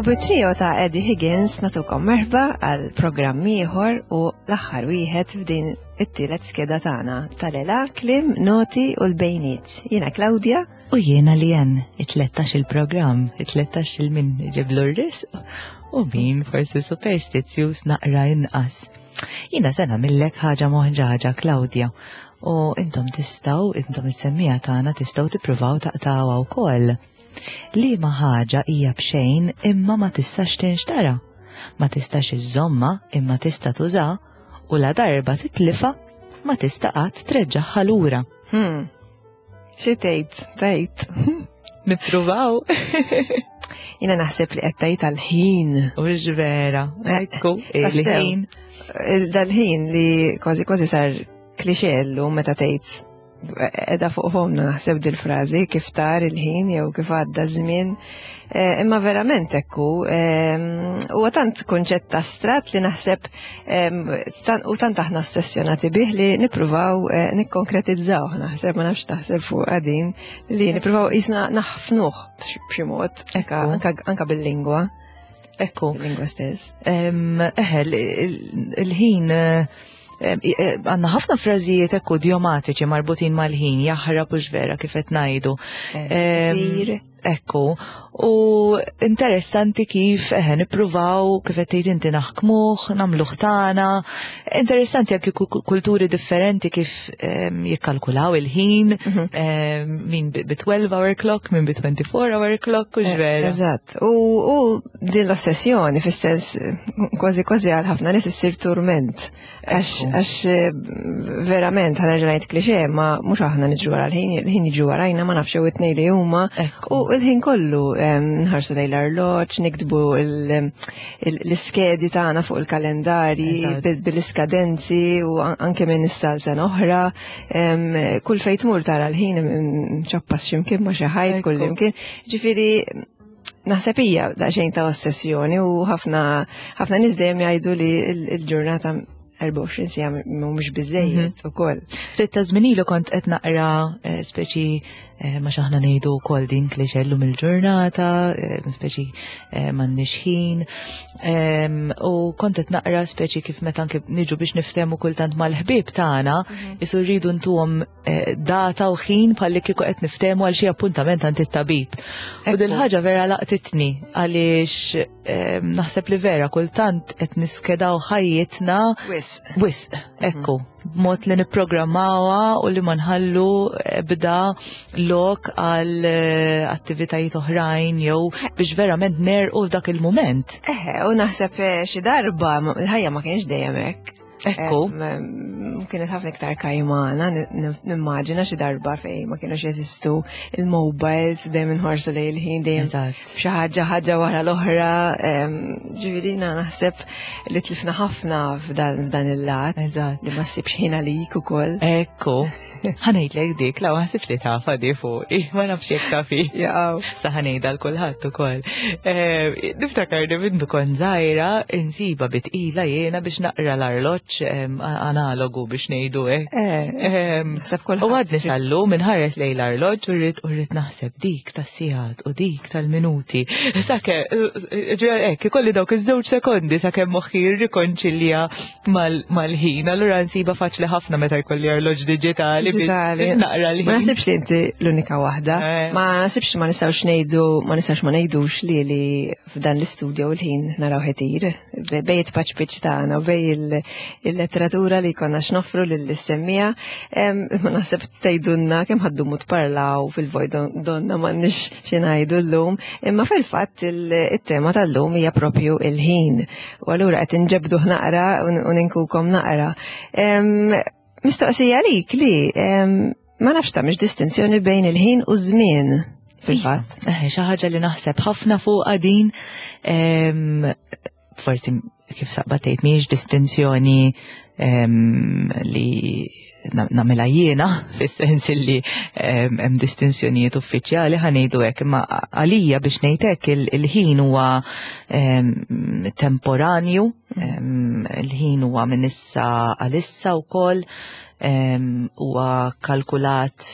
bit-trio ta' Eddie Higgins natukom merħba għal programm ieħor u l-aħħar wieħed f'din it-tielet skeda tagħna tal-ela, klim, noti u l-bejniet. Jiena Claudia. U jiena li jen, it-13 il-programm, it-13 il-min ġiblu r-risq u min forsi superstizzjuż naqra inqas. Jiena se nagħmillek ħaġa moħġaġa, Claudia, u intom tistgħu, intom is-semmija tagħna tistgħu tippruvaw taqtawha wkoll. Liema ħaġa hija b'xejn imma ma tistax tinxtara, ma tistax iżżommha imma tista' tuża u la darba titlifha ma tista' qatt treġġagħha lura. Hmm. Xi tgħid, tgħid. Nippruvaw. Jiena naħseb li qed tgħid għall-ħin. Mhux vera. Eh, Ekku, il-ħin. Dal-ħin li kważi kważi sar klixè llum meta tgħid edha fuq fomna naħseb dil-frażi kif tar il-ħin jew kif għadda żmien. Eh, imma verament ekku, ehm, huwa tant kunċett astrat li naħseb ehm, u tant aħna ossessjonati bih li nippruvaw eh, nikkonkretizzaw naħseb ma nafx taħseb fuq għadin li nippruvaw jisna naħfnuh b'xi mod anka bil-lingwa. Ekku. Bil-lingwa stess. Ehm, eħe, il-ħin eh, eh, għanna ħafna frażijiet ekku idiomatiċi marbutin mal-ħin, jaħrab u vera kif qed ngħidu. Ekku, u interessanti kif eħe nippruvaw kif qed tgħid inti naħkmuh, nagħmluh tagħna. Interessanti anki kulturi differenti kif jikkalkulaw il-ħin, mhm. min bi 12 hour clock, min bi 24 hour clock, u eh, vera. Eżatt. U din l-ossessjoni fis-sens kważi kważi għal ħafna nies issir turment. Għax eh, verament ħana ngħid klixe, ma mhux aħna niġru wara l-ħin, il-ħin jiġu warajna ma nafx jew it-tnej li huma. U l-ħin kollu nħarsu lejn l-arloġġ, niktbu l-iskedi tagħna fuq il-kalendarji bil-iskadenzi u anke minn issa l sena oħra. Kull fejn tmur tara l-ħin ċappas x'imkien ma xi ħajt kull imkien. Ġifieri naħseb hija daqsxejn ta' ossessjoni u ħafna ħafna nies dejjem jgħidu li l-ġurnata 24 sija mhumiex biżejjed mhm. ukoll. Ftit ta' żmien ilu kont qed naqra eh, speċi eh, ma xaħna ngħidu wkoll din klixe llum il-ġurnata, eh, speċi m'għandniex ħin. Ehm, u kont qed naqra speċi kif meta anke niġu biex niftehmu kultant mal-ħbieb tagħna, mhm. isu rridu ntuhom Eh, data u ħin bħalli kieku qed niftehmu għal xi appuntament għand it-tabib. U dil ħaġa vera laqtitni għaliex eh, naħseb li vera kultant qed niskedaw ħajjitna wisq. Wisq, mhm. ekku, b'mod li nipprogrammawha u li ma nħallu bda lok għal eh, attivitajiet oħrajn jew biex verament nerqu f'dak il-mument. Eħe, u naħseb xi darba l-ħajja ma kienx dejjem hekk. Ekku. Kienet ħafna iktar kajmana, nimmaġina xi darba fej ma kienux jeżistu il-mobiles, dejjem inħarsu lejn il-ħin, dejjem xi ħaġa ħaġa wara l-oħra. Ġifieri naħseb li tlifna ħafna f'dan il-lat. Li ma ssibx ħin għalik ukoll. Ekku. Ħanejdlek dik, la ħasibx li tafa di fuqi, ma nafx jekk tafi. Jaqaw. Sa ħanejdha l kulħadd ukoll. Eh, niftakar li mindu kont żgħira insiba bitqila jiena biex naqra l-arloġġ analogu biex ngħidu hekk. Eh, u għadni sallu minħares lejn l-arloġġ u rrid u rrid naħseb dik tas-sigħat u dik tal-minuti. Sakemm, eh, hekk ikolli dawk iż-żewġ sekondi sakemm moħħi jirrikonċilja mal-ħin, allura nsiba faċli ħafna meta jkolli arloġ digitali biex naqra l-ħin. Ma nasibx li inti l-unika waħda. Eh. Ma nasibx ma nistgħux ngħidu, ma nistgħux ma ngħidux li li f'dan l-istudju l-ħin naraw ħetir. Bej it-paċ tagħna u bej il-letteratura li konna x'noffru lill-semmija. Ma naħseb tgħidulna kemm ħaddumu tparlaw fil-voj donna m'għandniex xi ngħidu llum, imma fil-fatt il-tema tal-lum hija propju il-ħin. U allura qed inġebduh naqra u ninkukom naqra. Mistoqsija għalik li ma nafx tagħmilx distinzjoni bejn il-ħin u żmien fil-fatt. Eh, xi ħaġa li naħseb ħafna fuqha din forsi kif saqba tgħid mhijiex distinzjoni li nagħmilha jiena fis-sens li hemm distinzjonijiet uffiċjali ħanejdu hekk, imma għalija biex ngħid hekk il-ħin huwa temporanju, il-ħin huwa minn issa għalissa wkoll huwa kalkulat.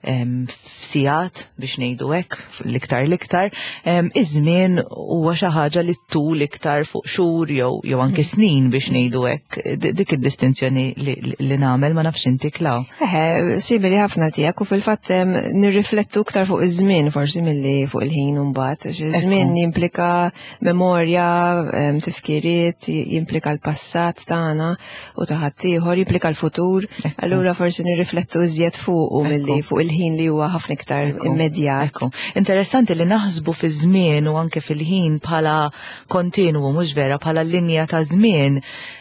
f'sigħat biex ngħidu hekk l-iktar l-iktar, iż-żmien huwa xi ħaġa li tul iktar fuq xhur jew jew anke mm. snin biex ngħidu hekk. Dik id-distinzjoni li nagħmel ma nafx inti Klaw. Eħe, simili ħafna tiegħek u fil-fatt nirriflettu iktar fuq iż-żmien forsi milli fuq il-ħin u mbagħad. Iż-żmien jimplika memorja, tifkiriet, jimplika l-passat tagħna u ta' ħaddieħor jimplika l-futur, allura forsi nirriflettu iżjed fuq u milli fuq il-ħin li huwa ħafna iktar immedjat. Interessanti li naħsbu fi żmien u anke fil-ħin bħala kontinwu mhux vera bħala linja ta' żmien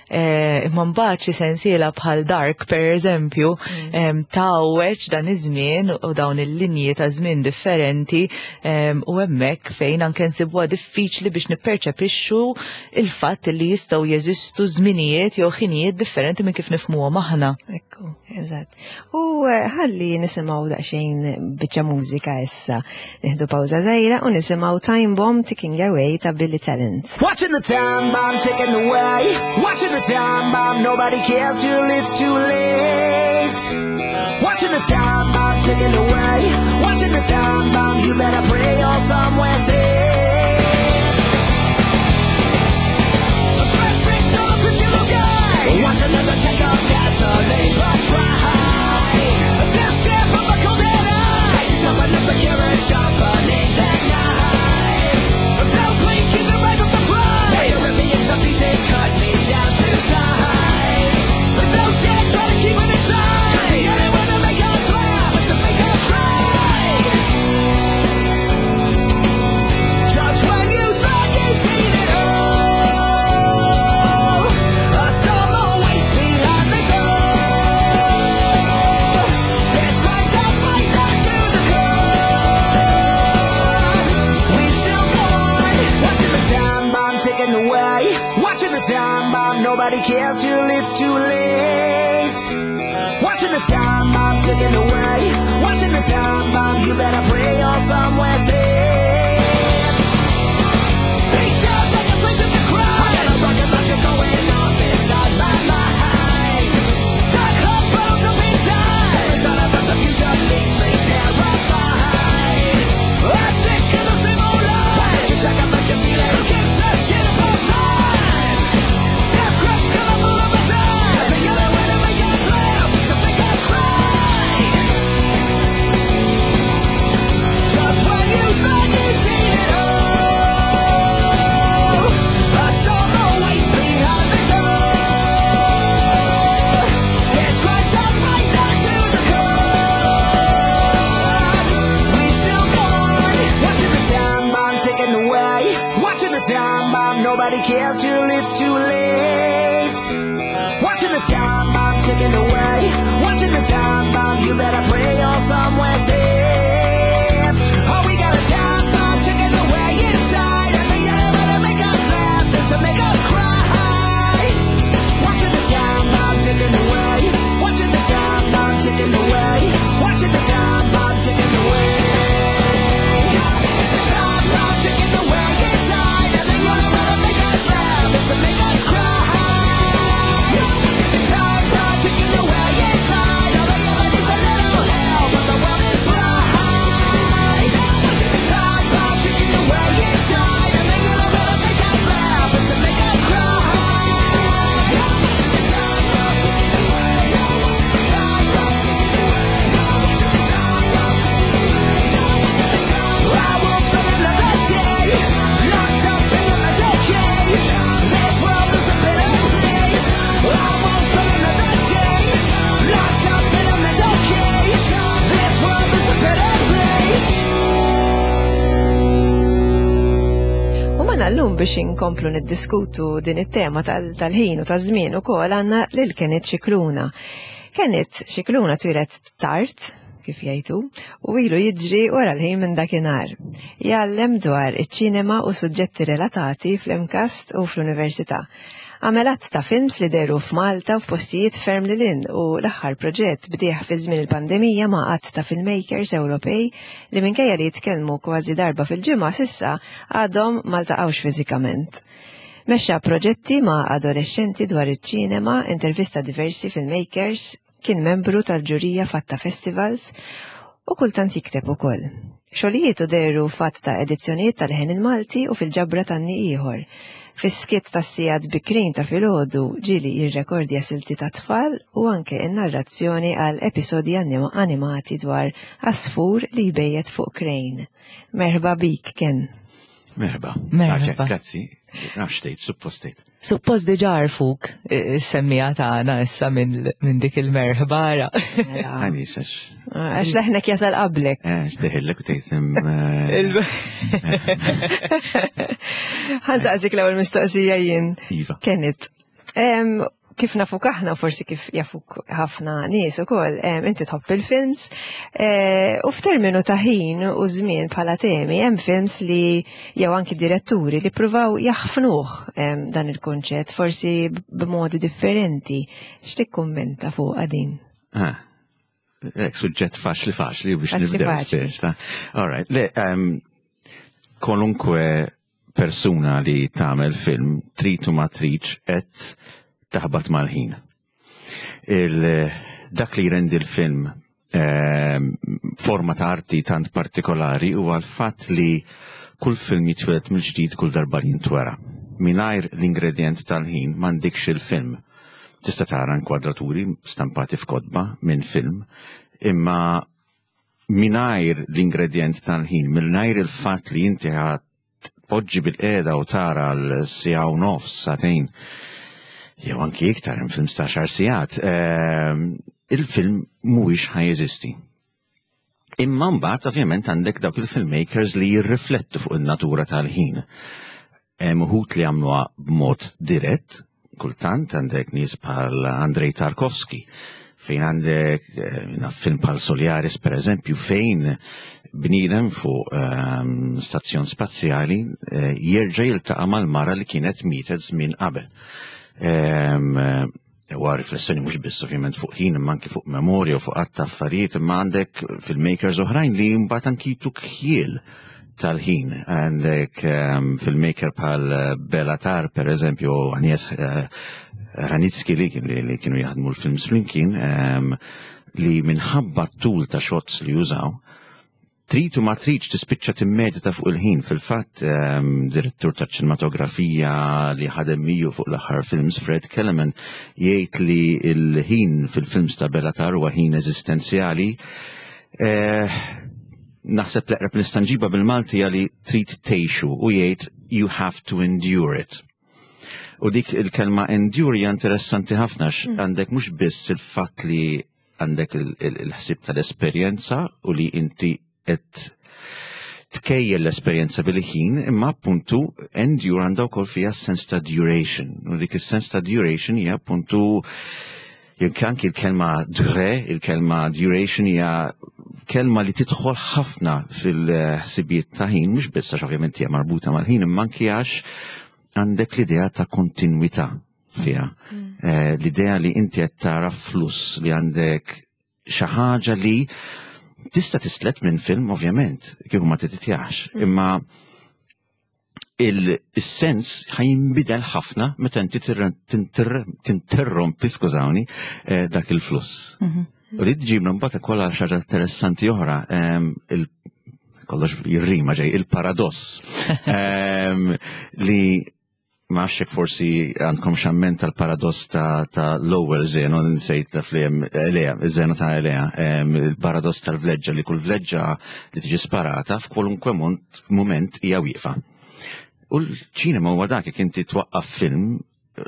eh, imma mbagħad xi sensiela bħal Dark per eżempju mm. tgħawweġ dan iż-żmien u dawn il-linji ta' żmien differenti u hemmhekk fejn anke nsibuha diffiċli biex nipperċepixxu il-fatt li jistgħu jeżistu żminijiet jew ħinijiet differenti minn kif nifhmuhom aħna. Ekku, eżatt. U eh, ħalli nisimgħu daqsxejn biċċa mużika issa. Nieħdu pawża żgħira u nisimgħu Time Bomb Ticking Away ta' Billy Talent. Watching the time bomb ticking away. Watching the time bomb, nobody cares till it's too late. Watching the time bomb ticking away. Watching the time bomb, you better pray you're somewhere safe. Watch another tank of gasoline run dry. Death stare from the cold dead eyes. Sharpen up the carrot, sharpening their knives. Don't blink in the eyes of the prize. Europeans of pieces cut me down to size. Don't dare try to keep it inside. 'Cause the only way to make us laugh is to make us cry. Just when you thought you'd seen it all, a storm awaits behind the door. That's right, I'll fight down to the core. We still go on, watching the time bomb ticking away. Watching the time bomb, nobody cares till it's too late. Watching the time bomb ticking away. Watching the time bomb, you better pray you're somewhere safe. Beat down like a slave to the crime. I got a rocket launcher going off inside my mind. Dark hot bottles up inside. Every thought about the future leaves me terrified. I'm sick of the same old lies. Why don't you talk about your feelings? Who gives a shit about mine? Death grips coming full of us eyes. 'Cause the only way to make us laugh is to make us cry. Just when you thought you'd seen it all, a storm awaits behind the door. Death cried out right down to the core. We still go on, watching the time bomb ticking away. Watching the time bomb, nobody cares till it's too late. Watching the time bomb ticking away. Watching the time bomb, you better pray you're somewhere safe. Oh, we got a time bomb ticking away inside, and the only way to make us laugh is to make us cry. Watching the time bomb ticking away. Watching the time bomb ticking away. Watching the time bomb ticking away. The time bomb ticking away inside, and the only way to make us laugh is to make us cry. Watching the time bomb ticking away inside, all they ever need's a little help, but the world is blind. Watching the time bomb ticking away inside, and the only way to make us laugh is to make us cry. Watching the time bomb ticking away. Watching the time bomb ticking away. Watching the time bomb ticking away. Watching the time. I won't spend another day locked up in a metal cage. This world is a better place. I won't spend another day locked up in a metal cage. This world is a better place. U magħna llum biex inkomplu niddiskutu din it-tema tal-ħin u taż-żmien ukoll għandna lil Kenneth Scicluna. Kenneth Scicluna twieled tard, kif jgħidu, u ilu jiġri wara l-ħin minn dakinhar. Jgħallem dwar iċ-ċinema u suġġetti relatati fl-MCAST u fl-Università. Għamel għadd ta' films li dehru f'Malta u f'postijiet ferm lil hinn u l-aħħar proġett bdieh fi żmien il-pandemija ma' għadd ta' filmmakers Ewropej li minkejja li jitkellmu kważi darba fil-ġimgħa s'issa għadhom ma ltaqgħux fiżikament. Mexxa proġetti ma' adolexxenti dwar iċ-ċinema, intervista diversi filmmakers, kien membru tal-ġurija f'għadd ta' festivals. U kultant jikteb ukoll. Xogħlijietu dehru f'għadd ta' edizzjonijiet ta' Leħen il-Malti u fil-ġabra t'Anni Ieħor. Fis-skiet tas-sigħat bikrin ta' filgħodu ġieli jirrekordja silti tat-tfal u anke n-narrazzjoni għal episodji animati dwar għasfur li jbejjet fuq krejn. Merħba bik, Ken. Merħba. Merħba. Grazzi. Nafx tgħid, suppost tgħid. Suppost diġà għarfuk is-semmija tagħna issa minn dik il-merħba ara. Mela. Għaliex għax. Għax leħnek jasal qablek. Eh, għax deħillek u tgħid. Ħansaqsik l-ewwel mistoqsija jien. Iva. Kenneth, kif nafuk aħna, forsi kif jafuk ħafna nies ukoll, inti tħobb il-films, eh, u f'terminu ta' ħin u żmien bħala temi hemm films li jew anki diretturi li pruvaw jaħfnuh dan il-kunċett, forsi b'modi differenti. X'tikkummenta fuq din? Ah, Ek, suġġett faċli faċli biex nibdew. All right, le, kolunkwe persuna li tagħmel film trid u ma tridx qed taħbat mal-ħin. Dak li jrendi l-film ehm, forma ta' arti tant partikolari huwa l-fatt li kull film jitwieled mill-ġdid kull darba li jintwera. Mingħajr l-ingredjent tal-ħin m'għandikx il-film. Tista' tara inkwadraturi stampati f'kotba minn film, imma mingħajr l-ingredjent tal-ħin, mingħajr il-fatt li inti tpoġġi bil-qiegħda u tara l-siegħa u nofs, sagħtejn, jew anki iktar hemm films ta' xar sigħat, ehm, il-film mhuwiex ħa jeżisti. Imma mbagħad ovvjament għandek dawk il-filmmakers li jirriflettu fuq in-natura tal-ħin. Hemm uħud li għamluha b'mod dirett, kultant għandek nies bħal Andrei Tarkovsky, fejn għandek eh, film bħal Soliaris per eżempju, fejn bniedem fuq ehm, stazzjon spazjali eh, jerġa' jiltaqa' mal-mara li kienet mietet żmien qabel. Ehm, Huwa riflessjoni mhux biss ovvjament fuq ħin imma anki fuq memorja u fuq għadd ta' affarijiet imma għandek filmmakers oħrajn li mbagħad anki jtuk ħjiel tal-ħin. Għandek ehm, filmmaker bħal Bela Tar, per eżempju, Agnes eh, Ranitski li, li kienu jaħdmu l-films flimkien, ehm, li minħabba t-tul ta' shots li jużaw, Trid u ma tridx tispiċċa timmedita fuq il-ħin. Fil-fatt, ehm, direttur ta' ċinematografija li ħadem miegħu fuq l-aħħar films, Fred Kellerman, jgħid li l-ħin fil-films ta' Belatar huwa ħin eżistenzjali. Eh, naħseb l-eqreb nista' nġibha bil-Malti li trid tgħixu u jgħid you have to endure it. U dik il-kelma endure hija interessanti ħafna mm. għandek mhux biss il-fatt li għandek il-ħsieb tal-esperjenza u li inti qed tkejjel l-esperjenza bil-ħin, imma appuntu endure għandha wkoll fiha sens ta' duration. U dik is-sens ta' duration hija appuntu jekk anki l-kelma dure, il-kelma duration hija kelma li tidħol ħafna fil-ħsibijiet ta' ħin, mhux biss għax ovvjament hija marbuta mal-ħin, imma anki għax għandek l-idea ta' kontinwità fiha. Mm. Eh, l-idea li inti qed tara fluss li għandek xi ħaġa li tista' tislet minn film ovvjament, kieku ma titjax, mm. imma il-sens ħajinbidel ħafna meta inti tinterrompi, skużawni, eh, dak il-fluss. Mhm. U li tġibna mbagħad ukoll għal xi ħaġa interessanti oħra, ehm, kollox jirrima ġej, il-paradoss ehm, li Ma nafx jekk forsi għandkom xamment tal-paradoss ta', ta l-ewwel Zeno, nsejt naf li hemm Elea, Zeno ta' Elea, il-paradoss tal-vleġġa li kull vleġġa li tiġi sparata f'kwalunkwe mument hija wieqfa. U l-ċinema huwa dak jekk inti twaqqaf film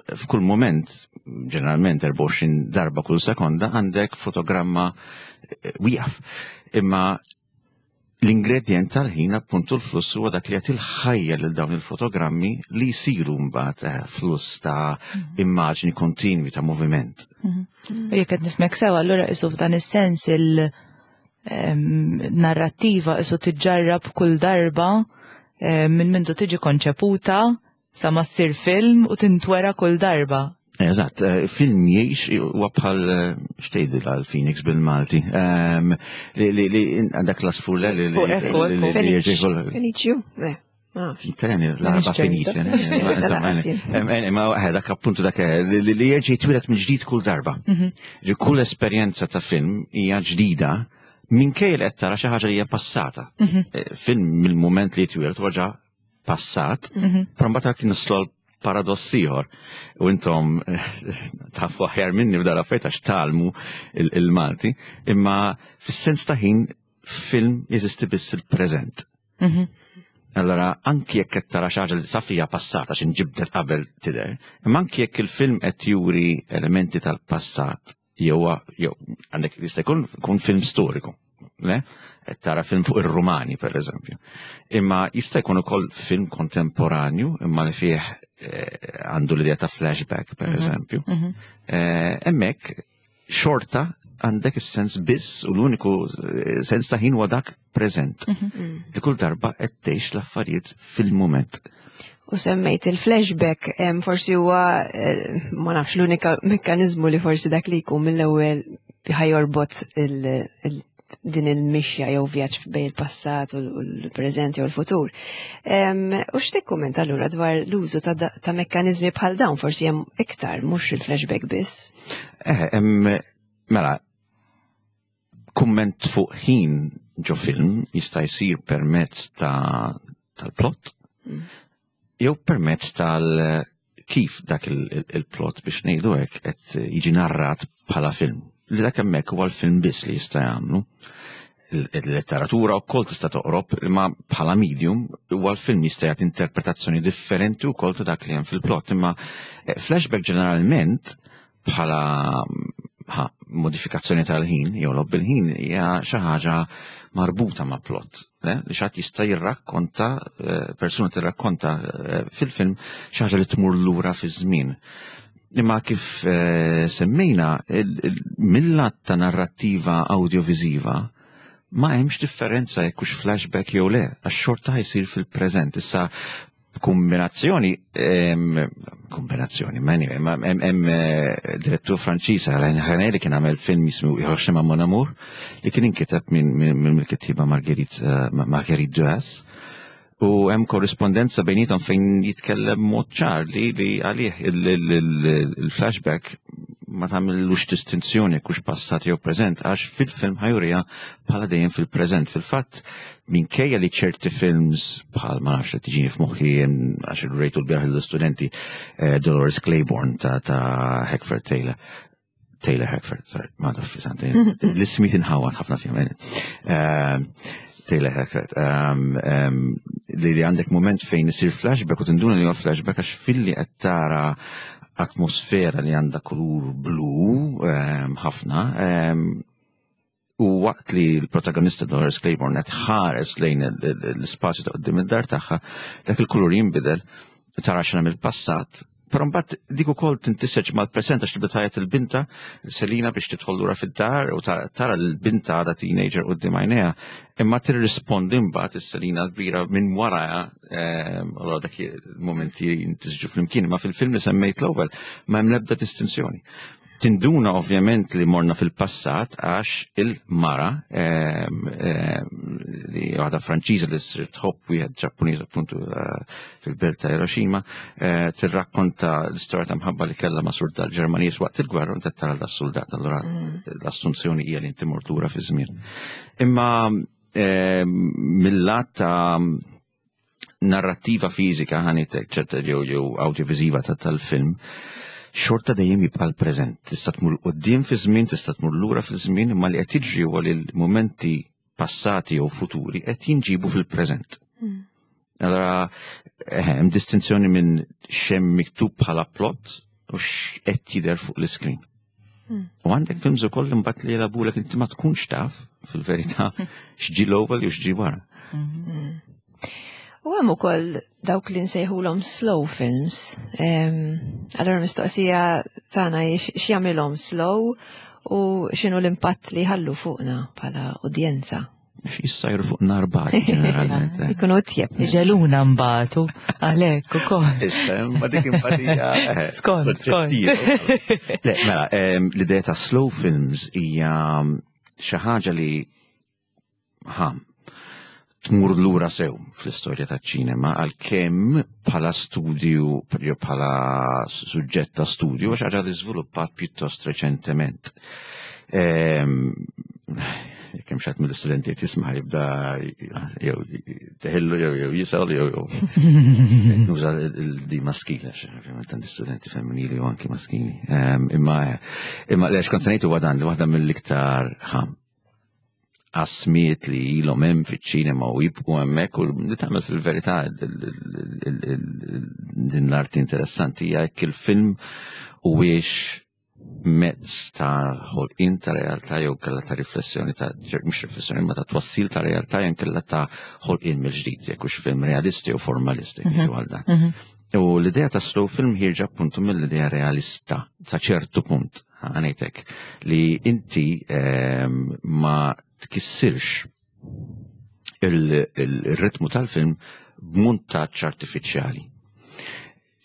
f'kull moment, ġeneralment 24 darba kull sekonda, għandek fotogramma eh, wieqaf. Imma L-ingredjent tal-ħin appuntu l-fluss huwa dak li jagħti l-ħajja lil dawn il-fotogrammi li jsiru mbagħad eh, fluss ta' mhm. immaġni kontinwi ta' moviment. Mhm. U jekk qed nifhmek sew allura isu f'dan is-sens il-narrattiva isu tiġġarrab kull darba minn mindu tiġi konċeputa Sa ma ssir film u tintwera kull darba. Eżatt, eh, film jgħix huwa bħal eh, xtejdi għal Phoenix bil-Malti. Ehm, li għandak l-asfur li Feniċju, eh. Treni, l-arba finiċ. Ma dak appuntu dak li jerġa' jitwieled mill-ġdid kull darba. Mhm. Kull esperjenza ta' film hija ġdida. Minkejja li qed tara xi ħaġa li hija passata. Film mill-mument li jitwieled huwa ġa passat, però mbagħad kien nislu paradoss ieħor. U intom tafu aħjar minni f'dar affarijiet għax talmu il-Malti, imma fis-sens ta' ħin film jeżisti biss il-preżent. Allora, anki jekk qed tara xi ħaġa li taf li hija passata xi nġibdet qabel tidher, imma anki jekk il-film qed juri elementi tal-passat jew jew għandek jista' jkun kun film storiku. Le? Qed tara film fuq ir-Rumani, per eżempju. Imma jista' jkun ukoll film kontemporanju imma li fih għandu l-idea ta' flashback, per eżempju. Hemmhekk xorta għandek is-sens biss u l-uniku sens ta' ħin huwa dak preżent. Li kull darba qed tgħix l-affarijiet fil-mument. U semmejt il-flashback, forsi huwa ma nafx l-unika mekkanizmu li forsi dak li jkun mill-ewwel ħajorbot din il-mixja jew vjaġġ bejn il-passat u l-preżent jew l-futur. U x'tikkumenta allura dwar l-użu ta' mekkaniżmi bħal dawn, forsi hemm iktar mhux il-flashback biss? Mela, kumment fuq ħin ġo film jista' jsir permezz tal-plot jew permezz tal kif dak il-plot biex ngħidu hekk qed jiġi narrat bħala film. Li dak hemmhekk huwa l-film biss li jista' jagħmlu. Il-letteratura wkoll tista' toqrob, imma bħala medium huwa l-film jista' jagħti interpretazzjoni differenti wkoll ta' dak li hemm fil-plot. Imma flashback ġeneralment bħala modifikazzjoni tal-ħin jew logħob bil-ħin hija xi ħaġa marbuta ma' plot. Li xi ħadd jista' jirrakkonta, persuna tirrakkonta fil-film xi ħaġa li tmur lura fiż-żmien. Imma kif semmejna, mill-lat ta' narrattiva audiovisiva ma hemmx differenza jekk hux flashback jew le, għax xorta ħajsir fil-preżent. Issa kombinazzjoni, kombinazzjoni, ma anyway, ma hemm direttur Franċiż Alain Resnais li kien għamel film jismu Hiroshima Mon Amour li kien inkiteb minn il-kittiba Marguerite Duras. U hemm korrispondenza bejnietom fejn jitkellem mod ċar li għalih il-flashback ma tagħmillux distinzjoni jekk hux passat jew preżent, għax fil-film ħajurija bħala dejjem fil-preżent. Fil-fatt, minkejja li ċerti films bħal ma nafx tiġini f'moħħi għax il-rejtu l-bieraħ l-istudenti Dolores Claiborne ta' Hackford Taylor. Taylor Hackford, sorry, ma nafx fi l-ismi tinħawat ħafna fihom. Taylor Hackford, li għandek moment fejn isir flashback u tinduna li huwa flashback għax filli qed tara atmosfera li għandha kulur blu ħafna, u waqt li l-protagonista Dolores Claiborne qed ħares lejn l-ispazju ta' quddiem id-dar tagħha, dak il-kulur jinbidel, tara xena mill-passat, però mbagħad dik ukoll tintiseġ mal-present għax tibda tgħajjat il-binta Selina biex tidħol lura fid-dar u tara l-binta għadha teenager quddiem għajnejha, imma tirrispondi mbagħad is-Selina l-kbira minn warajha, allura dak il-momenti jintisġu flimkien, imma fil-film li semmejt l-ewwel ma hemm l-ebda distinzjoni. Tinduna ovvjament li morna fil-passat għax il-mara li waħda Franċiża li ssir tħobb wieħed Ġappuniż appuntu fil-belt ta' Hiroshima, tirrakkonta l-istorja ta' mħabba li kellha ma' suldat Ġermaniż waqt il-gwerra u tara das-suldat. Allura l-assunzjoni hija li inti mort lura fiż-żmien. Imma mill-lat ta' narrattiva fiżika ħanitek ċerta jew audiovisiva tal-film, xorta dejjem jibqa' l-preżent. Tista' tmur quddiem fi żmien, tista' tmur lura fil-żmien, imma li qed jiġri huwa li l-mumenti passati jew futuri qed jinġibu fil-preżent. Allora, hemm distinzjoni minn x'hemm miktub bħala plot u x'qed jidher fuq l-iskrin. U għandek films ukoll imbagħad li jilagħbulek inti ma tkunx taf fil-verità x'ġi l-ewwel jew x'ġi wara. U hemm ukoll dawk li nsejħulhom slow films. Allora mistoqsija tagħna hi x'jagħmilhom slow u x'inhu l-impatt li jħallu fuqna bħala udjenza. X'jissajru fuq nar bar, ġeneralment. Ikunu tjeb. Ġeluna mbagħtu għalhekk ukoll. Issa, ma dik impatija, Skont, skont. soġġettiva. Le, mela, l-idea ta' slow films hija xi ħaġa li tmur lura sew fl-istorja taċ-ċinema, għalkemm bħala studju, jew bħala suġġett ta' studju, għax ħaġa li żviluppat pjuttost reċentement. Jekk hemm xi mill-istudenti tisma' jibda jew teħillu jew jew jisal jew jew nuża l-di maskili għax ovvjament għandi studenti femminili u anki maskili. Ehm, imma imma lex kont se ngħid huwa dan li waħda mill-iktar qasmiet li ilhom hemm fiċ-ċinema u jibqgħu hemmhekk u li tagħmel fil-verità din l-arti interessanti hija jekk il-film huwiex mezz ta' ħolqien ta' realtà jew kellha ta' riflessjoni ta' mhux riflessjoni ma ta' twassil ta' realtà jew kellha ta' ħolqien mill-ġdid jekk hux film realisti jew formalisti mhm. għal dan. Mhm. U l-idea ta' slow film ħirġa appuntu mill-idea realista sa' ċertu punt għanejtek li inti ehm, ma tkissirx il-ritmu tal-film b'muntaġġ artifiċjali.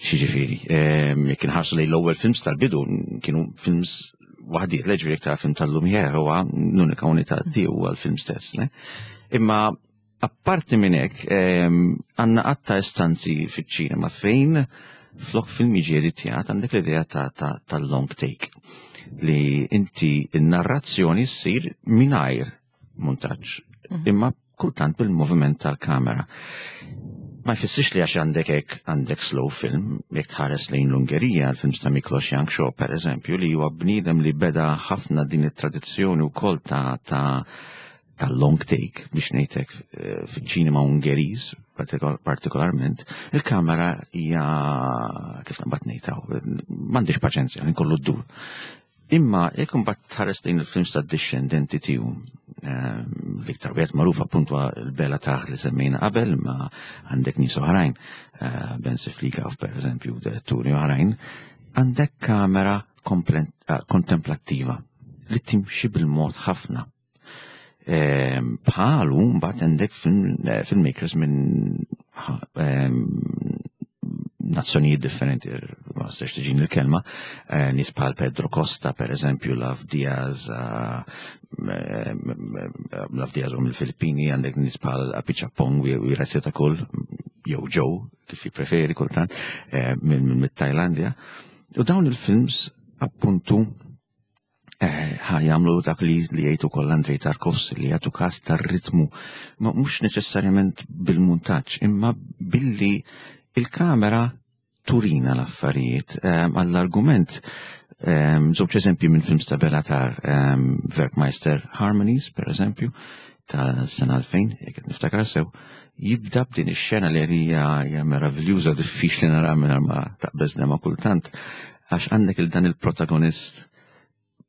Xiġifieri, ehm, jekk inħarsu lejn l-ewwel films tal-bidu kienu films waħdiet, leġri jekk tara film tal-Lumière huwa l-unika unità tiegħu huwa l-film stess. Ne? Imma apparti minn hekk, ehm, għandna qatta istanzi fiċ-ċinema fejn flok film jiġi editjat għandek l-idea ta' long take li inti n-narrazzjoni ssir mingħajr muntaġġ, mhm. imma kultant bil-moviment tal-kamera. Ma jfissirx li għax għandek hekk għandek slow film, jekk tħares lejn l-Ungerija, l-films ta' Miklos Janksho per eżempju, li huwa bniedem li beda ħafna din it-tradizzjoni wkoll ta' ta' ta' long take biex ngħidlek eh, fiċ-ċinema Ungeriż partikolarment, il-kamera hija kif naqbad ngħidha, m'għandix paċenzja, nkollu ddur. Imma jekk imbagħad tħares lejn il-films tad-dixxendenti tiegħu, ehm, l-iktar wieħed magħruf appuntu l-Bela Tarr li semmejna qabel, ma għandek nies oħrajn, eh, Ben Siflikaw pereżempju, diretturi oħrajn, għandek kamera eh, kontemplattiva li timxi bil-mod ħafna. Ehm, bħalu mbagħad għandek eh, filmmakers minn ehm, nazzjonijiet differenti, ma nistax tiġini l-kelma, eh, nies bħal Pedro Costa, per eżempju, Lav Diaz, eh, Lav Diaz u mill-Filippini, għandek nies bħal Apichatpong u Weerasethakul, jew Joe, kif jippreferi kultant, mill-Tajlandja. U dawn il-films appuntu Eh, ħa jagħmlu dak li li jgħid ukoll Andrej Tarkovsky li jagħtu każ tar-ritmu, ma mhux neċessarjament bil-muntaġġ, imma billi il-kamera turina l-affarijiet eh, għall-argument eh, żewġ eżempji minn films ta' Béla Tarr, Werckmeister Harmonies, per eżempju, ta' sena 2000, jekk qed niftakar sew, jibda b'din ix-xena li hija hija meraviljuża diffiċli nara mingħajr ma taqbeżna ma' kultant, għax għandek il dan il-protagonist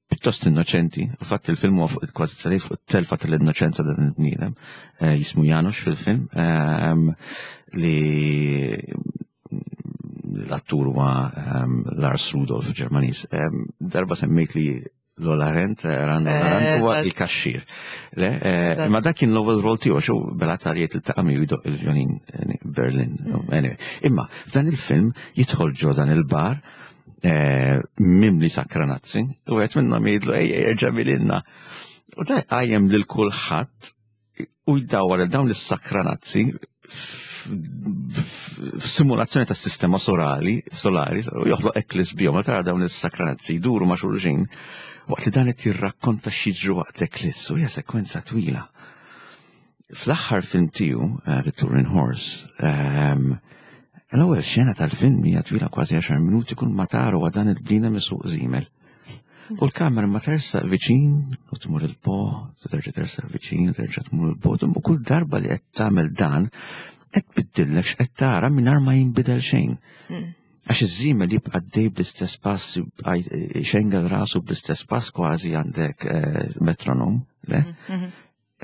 pjuttost innoċenti, u fatt il-film huwa fuq kważi salif fuq it-telfa tal-innoċenza dan il-bniedem, eh, jismu Janusz fil-film, ehm, li l-attur huwa ehm, Lars Rudolf Ġermaniż. Ehm, darba semmejt li Lola Rent, eh, Ran Lola Rent, huwa il-kaxxir. Le, eh, ma dak kien l-ewwel rol tiegħu xu bela tarijiet il-taqa' miegħu jdoq il-vjolin eh, Berlin. Mm. Anyway, imma f'dan il-film jidħol ġo dan il-bar mimli sakranazzi u qed minnhom jgħidlu ejja jerġa' milinna. U da qajjem lil kulħadd u jdawwar dawn is-sakranazzi f'simulazzjoni tas sistema solari, solari, u joħloq eklis bihom, tara dawn is-sakranazzi jduru ma' xulxin, waqt li dan qed jirrakkonta x'jiġri waqt eklis, u hija sekwenza twila. Fl-aħħar film tiegħu, eh, The Turin Horse, ehm, l-ewwel xena tal-film hija twila kważi 10 minuti kull ma tara huwa dan il-bniedem isuq żiemel. U l-kamera ma tersaq viċin u tmur il-bogħod, u terġa' tersaq viċin u terġa' tmur il-bogħod, u kull darba li qed tagħmel dan qed tbiddillek x'qed tara mingħajr ma jinbidel xejn. Hmm. Għax iż-żiemel jibqa' dej bl-istess pass, jibqa' xengel rasu bl-istess pass kważi għandek eh, metronom, le? Hmm, hmm.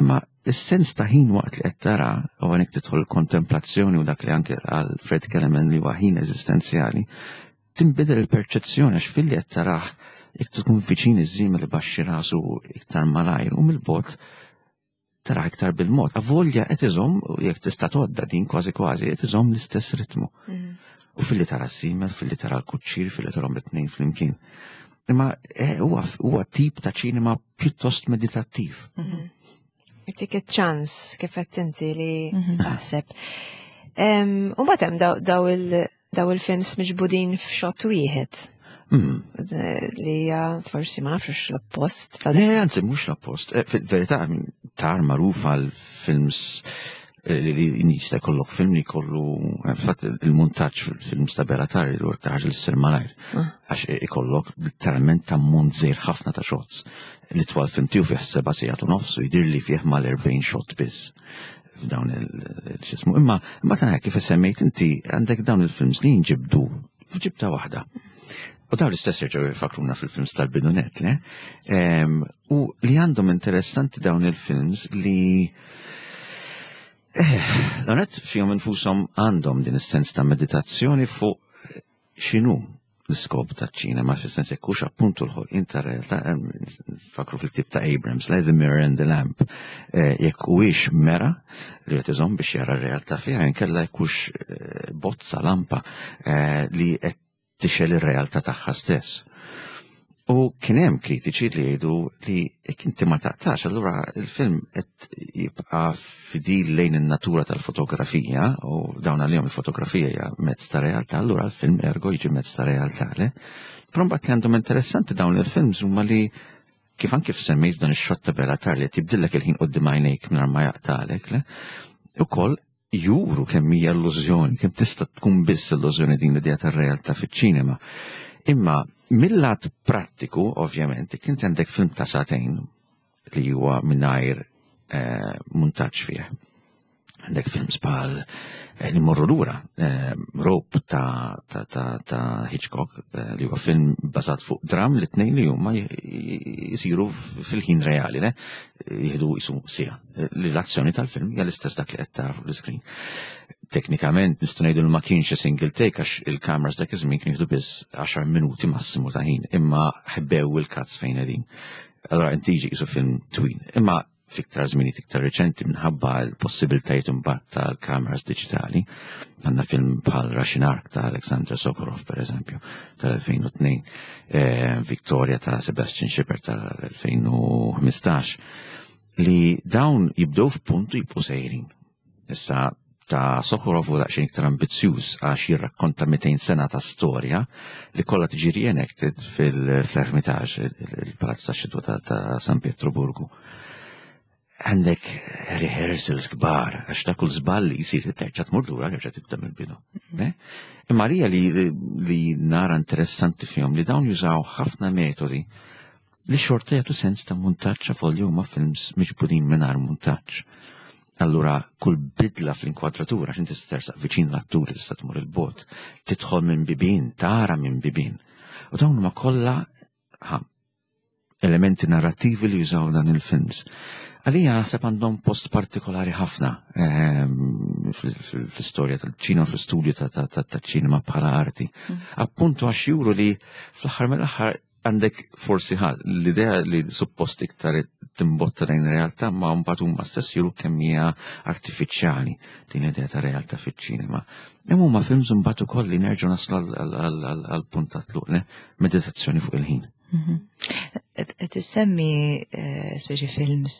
Imma is-sens ta' ħin waqt li qed tara u għanek tidħol kontemplazzjoni u dak li anke għal Fred Kellerman li huwa ħin eżistenzjali, tinbidel il-perċezzjoni għax filli qed tarah jekk tkun viċin iż-żiemel li baxxi rasu iktar malajr u mill-bogħod tarah iktar bil-mod. Avolja qed iżomm jekk tista' tgħodda din kważi kważi qed iżomm l-istess ritmu. Mm. U filli tara s-simel, filli tara l-kuċċir, filli tarahom it-tnejn flimkien. Imma eh, huwa tip ta' ċinema pjuttost meditattiv. Mhm. Itik iċ-ċans kif qed inti li mhm. taħseb. U mbagħad hemm daw il-films miġbudin f'xot wieħed. Li hija forsi ma nafx l-oppost. Le, anzi mhux l-oppost. Eh, fil-verità tar magħruf għal films eh, li jista' jkollok film li jkollu eh, fatt il-muntaġġ fil-films ta' Belatar li huwa ħaġa li ssir malajr. Ah. Għax ikollok literalment ta' mont żejr ħafna ta' shots. Li twal film tiegħu fih seba' sigħat u nofs u jidhir li fih mal-40 shot biss f'dawn il-xismu. Imma imma ta' kif semmejt inti għandek dawn il-films li jinġibdu f'ġibta waħda. U dawn l-istess jerġgħu jifakruna fil-films tal-bidunet, le? U li għandhom interessanti dawn il-films li eh, l-għonet fihom infushom għandhom din is-sens ta' meditazzjoni fuq x'inhu l-iskop taċ-ċinema, fis-sens jekk hux appuntu l-ħolqien ta' realtà, fakru fil-ktib ta' Abrams, le The Mirror and the Lamp, eh, jekk huwiex mera li qed iżomm biex jara r-realtà fiha, inkella jekk hux eh, bozza lampa eh, li qed tixel ir-realtà tagħha stess. U kien hemm kritiċi li jgħidu li jekk inti ma taqtax, allura il-film qed jibqa' fidil lejn in-natura tal-fotografija u dawn għalihom il-fotografija hija mezz ta' realtà, allura l-film ergo jiġi mezz ta' realtà, le? Però mbagħad li għandhom interessanti dawn il-films huma li kif anke semmejt dan ix-xott ta' Belatar li tibdillek il-ħin quddiem għajnejk mingħajr ma jaqtalek, le? Ukoll juru kemm hija illużjoni, kemm tista' tkun biss illużjoni din l-idea tar-realtà fiċ-ċinema. Imma mill-lat prattiku, ovvjament, kien għandek film ta' sagħtejn li huwa mingħajr eh, muntaġġ fih. Għandek films bħal eh, li morru lura, eh, Rope ta', ta, ta, ta Hitchcock, li huwa film bażat fuq dram li tnejn li huma jisiru fil-ħin reali, le? Jieħdu jisu sija. Li l-azzjoni tal-film hija l-istess dak li qed tara fuq l-iskrin. Teknikament nistgħu ngħidu li ma kienx single take għax il-kameras dak iż-żmien kienu jieħdu biss 10 minuti massimu ta' ħin, imma ħbew il-cuts fejn qegħdin. Allora inti jiġi qisu film twil. Imma fiktar żminijiet iktar reċenti minħabba l-possibiltajiet imbagħad tal-kameras diġitali, għandna film bħal Russian Ark ta' Alexander Sokurov per eżempju tal-2002, eh, Victoria ta' Sebastian Schipper tal-2015 li dawn jibdew f'punt u jibqgħu sejrin. Issa ta' Sokurov u daqsxejn iktar ambizzjuż għax jirrakkonta 200 sena ta' storja li kollha tiġi reenacted fil-Hermitage, il-Palazz tax-Xitwa ta' San Pietroburgu. Għandek rehearsals kbar, għax ta' kull żball li jsir terġa' tmur lura terġa' tibda mill-bidu. Mm. Eh? Imma li li nara interessanti fihom li dawn jużaw ħafna metodi li xorta jagħtu sens ta' muntaġġ avolja huma films miġbudin mingħajr muntaġġ. Allura kull bidla fl-inkwadratura għax inti tista' tersaq viċin l-atturi tista' tmur il-bot, tidħol minn bibien, tara minn bibien. U dawn huma kollha elementi narrativi li jużaw dan il-films. Għalija naħseb għandhom post partikolari ħafna ehm, fl-istorja tal-ċinema, fl-istudju tal-ċinema bħala arti. Mm. Appuntu għax juru li fl-aħħar mill-aħħar Għandek forsi ħal l-idea li suppost iktar timbotta lejn realtà ma mbagħad huma stess juru kemm hija artifiċjali din l-idea ta' realtà fiċ-ċinema. Imma huma films imbagħad ukoll li nerġgħu naslu għal punt ta' tluq le meditazzjoni fuq il-ħin. Mhm. Qed issemmi eh, speċi films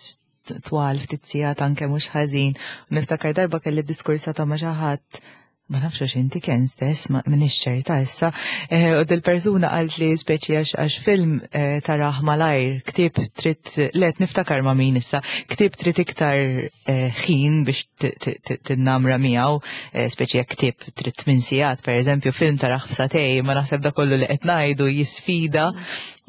twal ftit sigħat anke mhux ħażin. Niftakar darba kelli diskursata ma' xi ħadd ma nafx għax inti kien stess, ma minix ċerta issa, eh, u dil-persuna qalt li speċi għax għax film eh, taraħ malajr, ktieb trid, let niftakar ma' min issa, ktieb trid iktar eh, ħin biex tinnamra miegħu, speċi jekk ktieb trid tmien sigħat, per eżempju, film taraħ f'satej, ma naħseb da kollu li qed ngħidu jisfida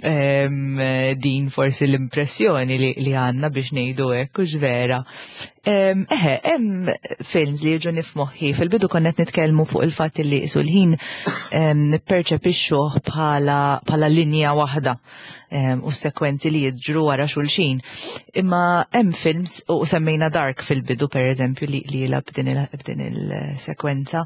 din forsi l-impressjoni li għandna biex ngħidu hekk hux vera. Eħe, hemm films li jiġu nifmoħħi. Fil-bidu konna qed nitkellmu fuq il-fatt li qisu l-ħin nipperċepixxuh bħala linja waħda u sekwenzi li jiġru wara xulxin. Imma hemm films u semmejna Dark fil-bidu per eżempju li jilgħab b'din il-sekwenza.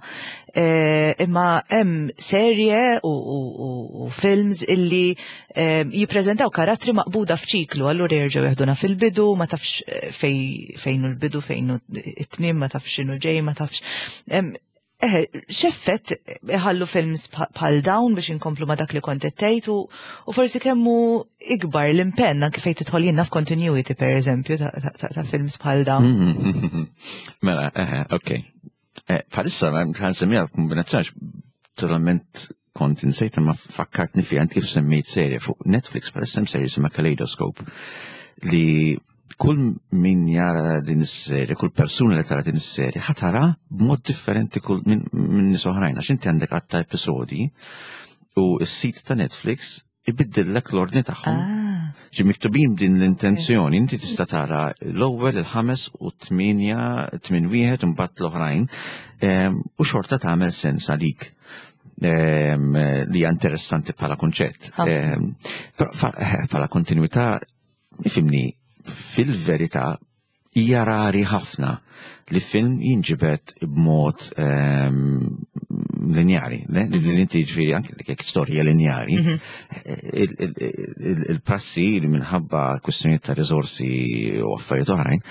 Eh, imma hemm serje u films illi eh, jippreżentaw karattri maqbuda f'ċiklu, allura jerġgħu jeħduna fil-bidu, ma tafx eh, fejn l-bidu, fejn it-tmiem, ma tafx x'inhu ġej, ma tafx. Eħe, x'effett iħallu films bħal dawn biex inkomplu ma dak li kont qed tgħid u forsi kemmu ikbar l-impenn anke fejn tidħol jiena f'continuity per eżempju ta' films bħal dawn. Mela, eħe, ok. Eh, bħalissa, għan semmija kombinazzjoni totalment kont insejt imma fakkartni fiha int kif semmejt serje fuq Netflix bħalissa hemm serje jisimha Kaleidoscope li kull min jara din is-serje, kull persuna li tara din is-serje ħa tara b'mod differenti kull minn min nies oħrajn għax inti għandek għadd ta' episodji u s-sit ta' Netflix ibiddillek l-ordni tagħhom. Ah. Ġi miktubin din l-intenzjoni, inti tista' tara l-ewwel, il-ħames u t-tmienja, tmien wieħed u mbagħad l-oħrajn, u xorta tagħmel sens għalik. Li hija interessanti bħala kunċett. Però bħala kontinwità, ifhimni, fil-verità hija rari ħafna li film jinġibed b'mod linjari, le? Li mhm. inti ġifieri anke li jekk storja linjari, mhm. il-prassi li minħabba kwistjonijiet ta' riżorsi u affarijiet oħrajn,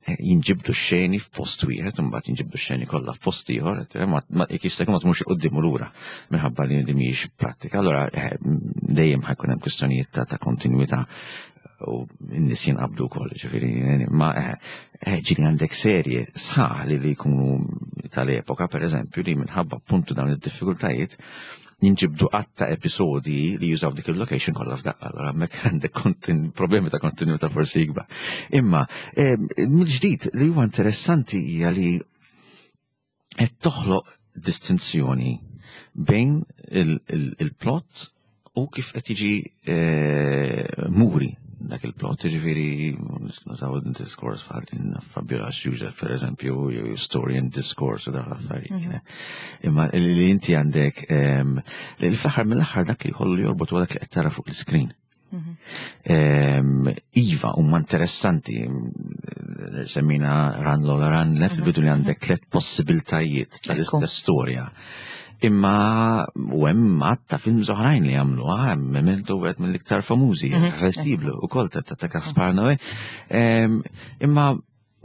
eh, jinġibdu xeni f'post wieħed, imbagħad jinġibdu xeni kollha f'post ieħor, eh, ma jekk jista' jkun ma tmurx quddiem u lura minħabba li mhijiex prattika. Allura eh, dejjem ħajkun hemm kwistjonijiet ta' kontinwità u n-nies jinqabdu wkoll, ġifieri, ma eh, eh, ġieli għandek serje sħaħ li li jkunu tal-epoka, per eżempju, li minħabba appuntu dawn id-diffikultajiet jinġibdu għadd ta' episodi li jużaw dik il-location kollha f'daqqa, allora hemmhekk għandek problemi ta' kontinuità forsi ikbar. Imma eh, mill-ġdid li huwa interessanti hija li qed toħloq distinzjoni bejn il-plot u kif qed jiġi eh, muri dak il-plot, ġifieri nużaw diskors bħal Fabiola Xuxa, per eżempju, story and discourse u dawn l-affarijiet. Mhm. Imma li inti għandek ehm, li fl-aħħar mill-aħħar dak li jħollu jorbot huwa dak li qed tara fuq l-iskrin. Mhm. Iva, huma interessanti, semmina Run Lola Run, le fil-bidu li għandek tlet possibiltajiet tal-istess storja. Imma u hemm għadd ta' films oħrajn li jagħmluha, hemm Memento wieħed mill-iktar famużi, mhm. Irreversiblu ukoll ta' Gaspar Noé. Imma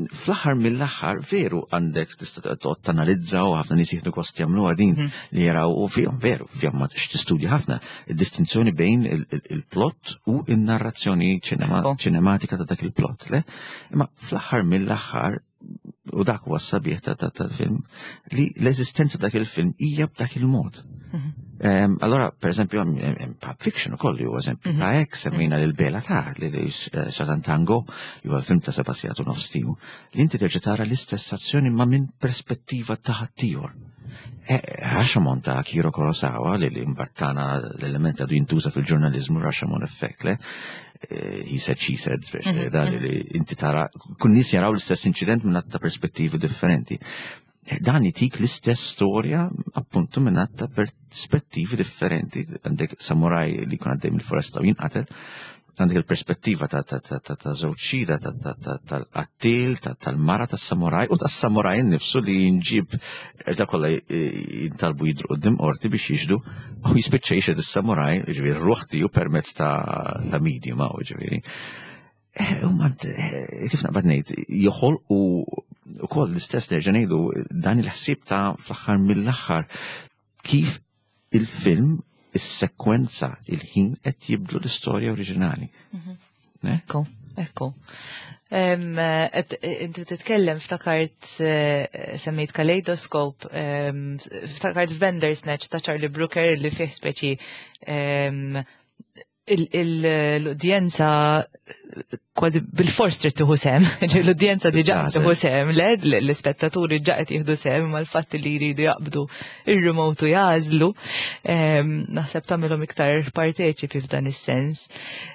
fl-aħħar mill-aħħar veru għandek tista' toqgħod tanalizza u ħafna nies jieħdu gost jagħmluha din mhm. li jaraw u fihom veru fihom ma tistudja ħafna id-distinzjoni bejn il-plot u n-narrazzjoni ċinematika ta' dak il-plot. Le? Imma fl-aħħar mill-aħħar u dak huwa s-sabiħ ta' tal-film li l-eżistenza dak il-film hija b'dak il-mod. Mhm. Allora, per eżempju, Pulp Fiction ukoll li huwa eżempju mhm. ta' hekk semmejna lil Bela Tar li eh, Satan Tango li huwa film ta' seba' sigħat u nofs tiegħu li inti terġa' tara l-istess azzjoni ma' minn perspettiva ta' ħaddieħor. Eh, Rashomon ta' Akira Kurosawa li li mbattana l-element għadu jintuża fil-ġurnalizmu Rashomon effect, le? Eh, he said, she said, mhm, da li mhm. inti tara, kun nis jaraw l-istess incident minn ta' perspettivi differenti. Eh, dan itik l-istess storja appuntu minn ta' perspettivi differenti. Għandek samuraj li kun għaddej mill-foresta u jinqatel, għandek il-perspettiva ta' ta' żewġ xhieda tal-qattil, tal-mara tas-samuraj u tas-samuraj innifsu li jinġib da kollha jintalbu jidru qudiem qorti biex jixhdu u jispiċċa jixhed is-samuraj, jiġifieri r-ruħ tiegħu permezz ta' medium hawn, jiġifieri. Eh, huma eh, kif naqbad ngħid, joħolqu ukoll l-istess nerġa' ngħidu dan il-ħsieb ta' fl-aħħar mill-aħħar kif il-film, is-sekwenza, il-ħin qed jibdlu l-istorja oriġinali. Mhm. Eh? Ekku, ekku. Intu titkellem ftakart eh, semmejt Kaleidoscope, ftakart Bandersnatch ta' Charlie Brooker li fih speċi l-udjenza kważi bil-fors trid tieħu sehem. L-udjenza diġà tieħu sehem, le l-ispettaturi ġa qed jieħdu sehem mal-fatt li jridu jaqbdu ir-remote u jagħżlu. Ehm, naħseb tagħmilhom iktar parteċipi f'dan is-sens.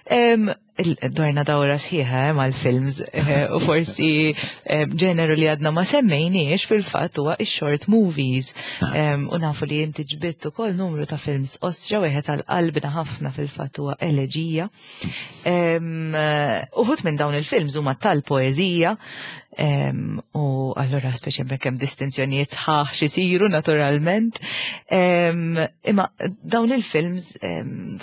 Ehm, dwarna dawra sħiħa eh, mal-films eh, u forsi eh, ġeneru li għadna ma semmejniex fil-fatt huwa ix-short movies. Ah. U nafu li inti ġbitt ukoll numru ta' films ostra wieħed għal qalbna ħafna fil-fatt huwa Eleġija. Uħud minn dawn il-films huma tal-poeżija u allura speċi hemmhekk hemm distinzjonijiet sħaħ xisiru naturalment. Imma dawn il-films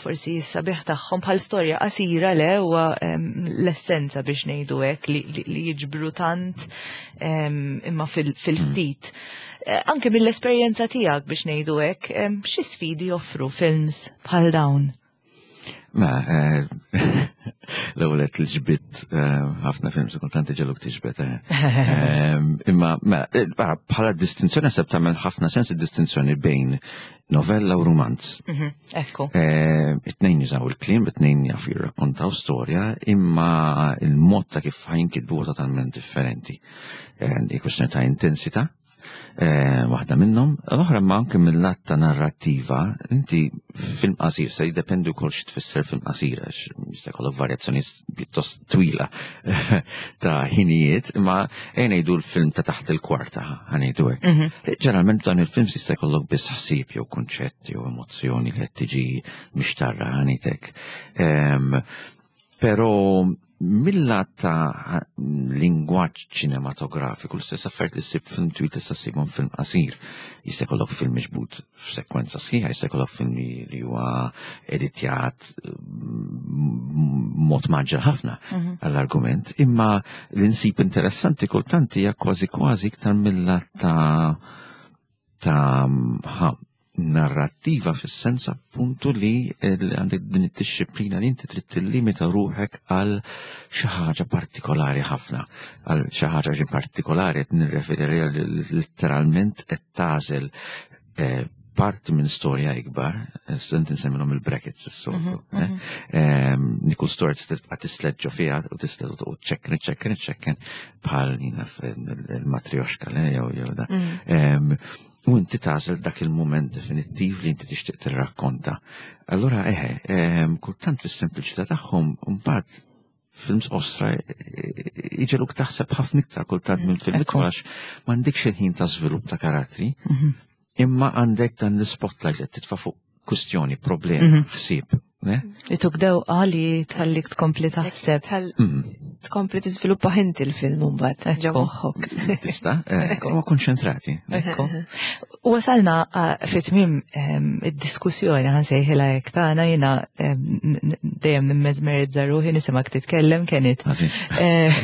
forsi s-sabiħ tagħhom bħal storja qasira le huwa l-essenza biex ngħidu hekk li jiġbru tant imma fil-ftit. Eh, anke mill-esperjenza tiegħek biex ngħidu hekk, xi sfidi joffru films bħal dawn? Mela, eh, l-ewwel qed l-ġbit eh, ħafna films kultant iġeluk tiġbed. Eh. Imma mela, bħala distinzjoni naħseb tagħmel ħafna sens id-distinzjoni bejn novella u rumanz. Mhm, ekku. It-tnejn jużaw il-kliem, it-tnejn jaf jirrakkontaw storja, imma il-mod ta' kif ħajnkitbu totalment differenti. Kwestjoni ta' intensità, Eh, waħda minnhom, l-oħra ma anke mill-lat ta' narrattiva, inti film qasir se jiddependi wkoll xi tfisser film qasir għax jista' jkollok varjazzjoni pjuttost twila ta' ħinijiet, imma ejja ngħidu l-film ta' taħt il-kwarta ħa ngħidu hekk. Mhm. Ġeneralment dan il-film jista' jkollok biss ħsieb jew kunċett jew emozzjoni li qed tiġi mixtarra ħa ngħidlek. Ehm, Però mill-lat ta' lingwaġġ ċinematografiku, l-istess affarijiet li ssib film twil tista' ssibhom film qasir. Jista' jkollok film miġbud f'sekwenza sħiħa, jista' jkollok film li huwa editjat mm, mod maġġel ħafna mhm. għall-argument, imma li nsib interessanti kultant hija kważi kważi iktar mill-lat ta' ta' narrattiva fis-sens appuntu li għandek din id-dixxiplina li inti trid tillimita ruħek għal xi ħaġa partikolari ħafna. Għal xi ħaġa xi partikolari qed nirreferi letteralment qed tagħżel eh, parti minn storja ikbar, student insemmilhom il-brackets is-soltu. Mhm, eh? mhm. Ehm, Nikul storja tista' tibqa' tisleġġo fiha u tisleġġo u ċekken, ċekken, ċekken bħal jina il-matrioxka le jew jew da. Mm. Ehm, u inti tagħżel dak il-mument definittiv li inti tixtieq tirrakkonta. Allura eħe, ehm, kultant fis-sempliċità tagħhom mbagħad films osra iġeluk taħseb ħafna iktar kultant minn film itwal għax m'għandekx il-ħin ta' żvilupp ta' karattri, mhm. imma għandek dan l-spotlight li titfa' fuq kustjoni, problema, mhm. ħsieb. Ituk dewqa li tħallik tkompli taħseb. Mhm. Tkompli tiżviluppa inti l-film mbagħad ġo moħħok. Tista', eh, huwa konċentrati. Ekku. U wasalna eh, fi tmiem ehm, id-diskussjoni ħansejħilha hekk tagħna jiena ehm, dejjem nimmeżmerizza ruħi nisimgħek titkellem kienet. Eh,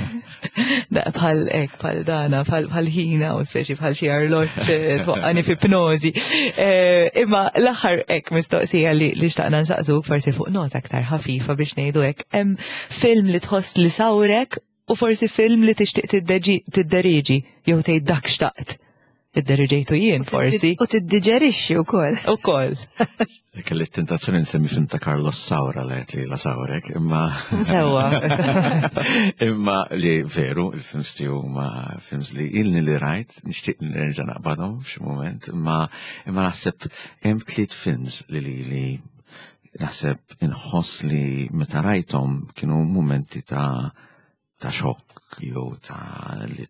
bħal ek, bħal dana, bħal ħina u speċi bħal xi arloġġ eh, twaqqani fi pnozi. Eh, imma l-aħħar ek mistoqsija li xtaqna nsaqsu forsi fuq nota aktar ħafifa biex ngħidu hekk, hemm film li tħoss li sawrek u forsi film li tixtieq tidderiġi jew tgħid dak xtaqt. Id-deriġejtu jien forsi. U tiddiġerixxi wkoll. Ukoll. Kelli tentazzjoni nsemmi film ta' Carlos Saura li qed li la sawrek, imma. Sewwa. Imma li veru, il-films tiegħu ma films li ilni li rajt, nixtieq nerġa' naqbadhom f'xi mument, imma imma naħseb hemm tliet films li li li naħseb inħoss li meta rajthom kienu mumenti ta' ta' xokk jew ta' li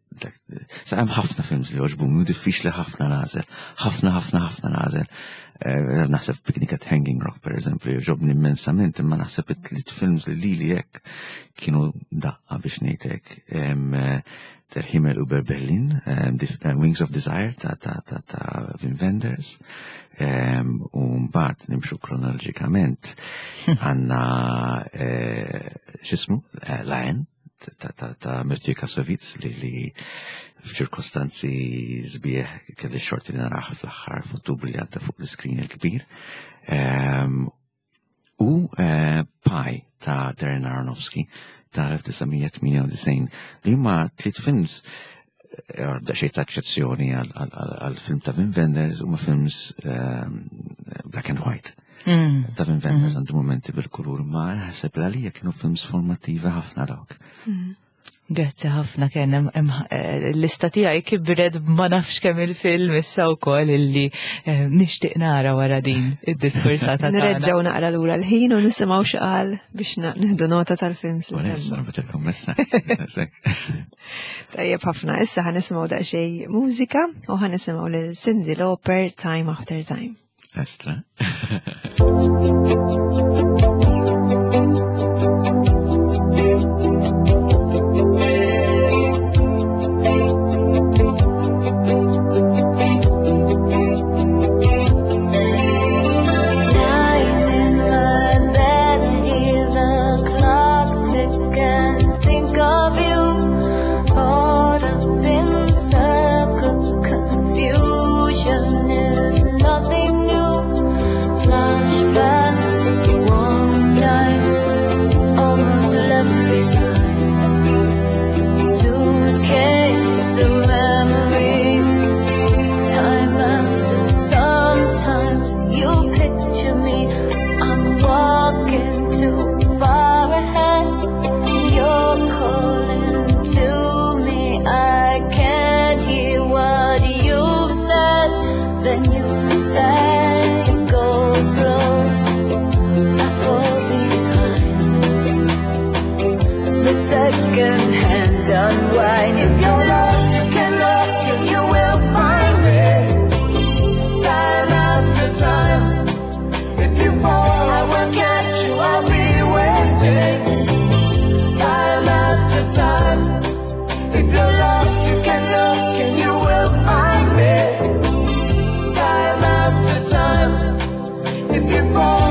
sa hemm ħafna films li għoġbuni u diffiċli ħafna nagħżel, ħafna ħafna ħafna nagħżel. Eh, naħseb Picnic at Hanging Rock per eżempju jogħġobni immensament, imma naħseb it-tliet films li lili hekk kienu daqqa biex ngħidlek eh, Der Himmel über Berlin, eh, Wings of Desire ta' ta' ta' ta' Wim Wenders, u mbagħad nimxu kronoloġikament għandna x'ismu La Haine ta' ta' ta' Mathieu Kassovitz li li f'ċirkostanzi sbieħ kelli xorti li narah fl-aħħar f'Ottubru li għadda fuq l-iskrin il-kbir. U Pi ta' Darren Aronofsky ta' 1998 li huma tliet films eh, xejn ta' eċċezzjoni għal film ta' Wim Wenders huma films ehm, black and white. Mm. Ta' Wim Wenders mm. għandu momenti bil-kulur ma ħaseb l-għalija kienu films formattivi ħafna dawk. Mm. Grazzi ħafna kien hemm eh, l-lista tiegħi kibret ma nafx kemm il-film issa wkoll illi eh, nixtieq nara wara din id-diskursata. Nreġgħu naqra lura l-ħin u nisimgħu x'qal biex nieħdu nota tal-films. Tajjeb ħafna, issa ħanisimgħu daqsxejn mużika u ħanisimgħu lil Cindy Lauper Time After Time. Estra.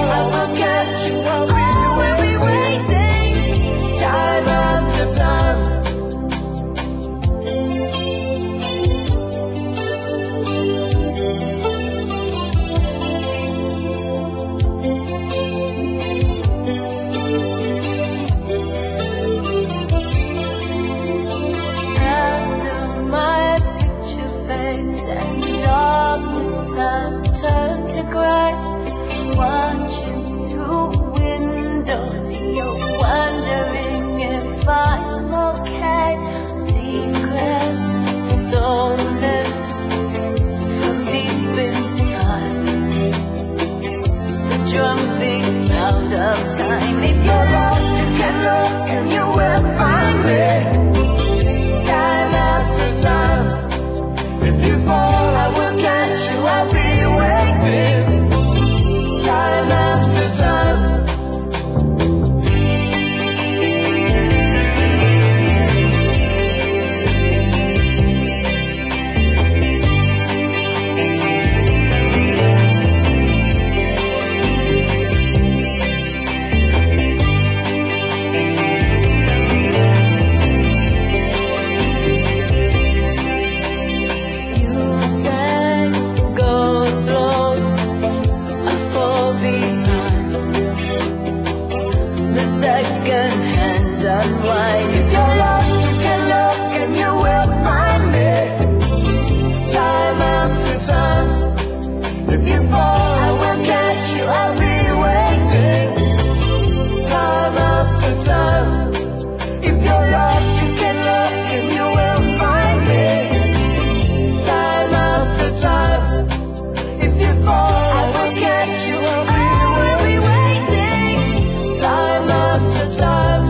I will catch you. I'll be waiting. Time after time. After my picture fades and darkness has turned to grey, watching through windows, you're wondering if I'm okay. Secrets stolen from deep inside. The drum beats round of time. If you're lost, you can look and you will find me. Time after time. If you fall, I will catch you. I'll be waiting. Time after time. You said go slow, I fall behind. The second hand unwind. If you're lost, you can look and you will find me. Time after time. If you fall, I will catch you. I'll be waiting. Time after time. If you're lost, you can look and you will find me. Time after time. If you fall, I will catch you. I'll be waiting. Time after time.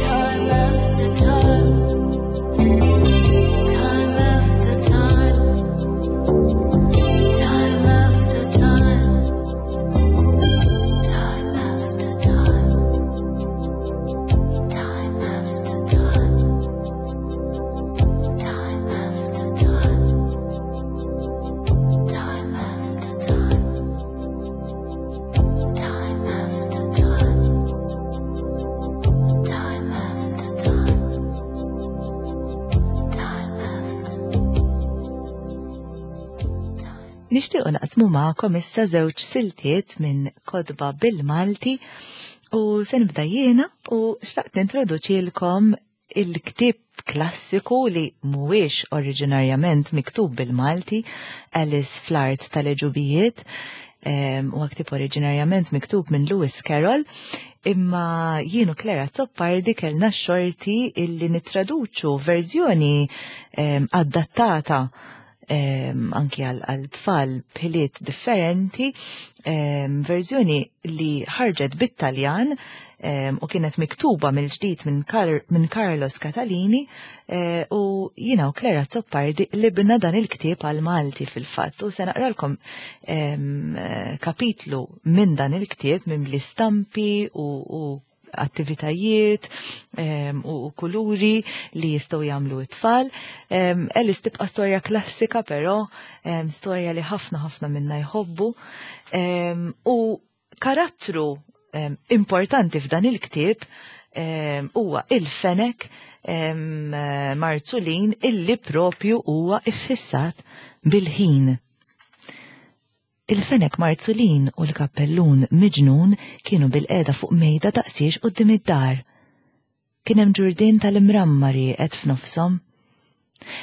Time after time. Time after time. Time after time. Time after time. Time after time. Time after time. Time after time. Time after time. Time after time. Time after Nixtiequ naqsmu magħkom issa żewġ siltiet minn kotba bil-Malti u se nibda jiena u xtaqt nintroduċilkom il-ktieb klassiku li mhuwiex oriġinarjament miktub bil-Malti, Alice fl-Art tal-Għeġubijiet, huwa ktieb oriġinarjament miktub minn Lewis Carroll, imma jien u Claire Azzopardi kellna x-xorti illi nittraduċu verżjoni adattata anki għal tfal b'ħiliet differenti, verżjoni li ħarġet bit-Taljan u kienet miktuba mill-ġdid minn Carlos Catalini, u jiena u Claire Azzopardi qlibna dan il-ktieb għal Malti fil-fatt, u se naqralkom kapitlu minn dan il-ktieb minn bl-istampi u attivitajiet u kuluri li jistgħu jagħmlu t-tfal. Alice tibqa' storja klassika, però storja li ħafna ħafna minna jħobbu. U karattru importanti f'dan il-ktieb huwa il-fenek Marzulin illi propju huwa iffissat bil-ħin. Il-fenek Marzulin u l-kappellun miġnun kienu bil-qeda fuq mejda daqsiex quddiem id-dar. Kien hemm ġurdien tal-imramma rieqed f'nofshom.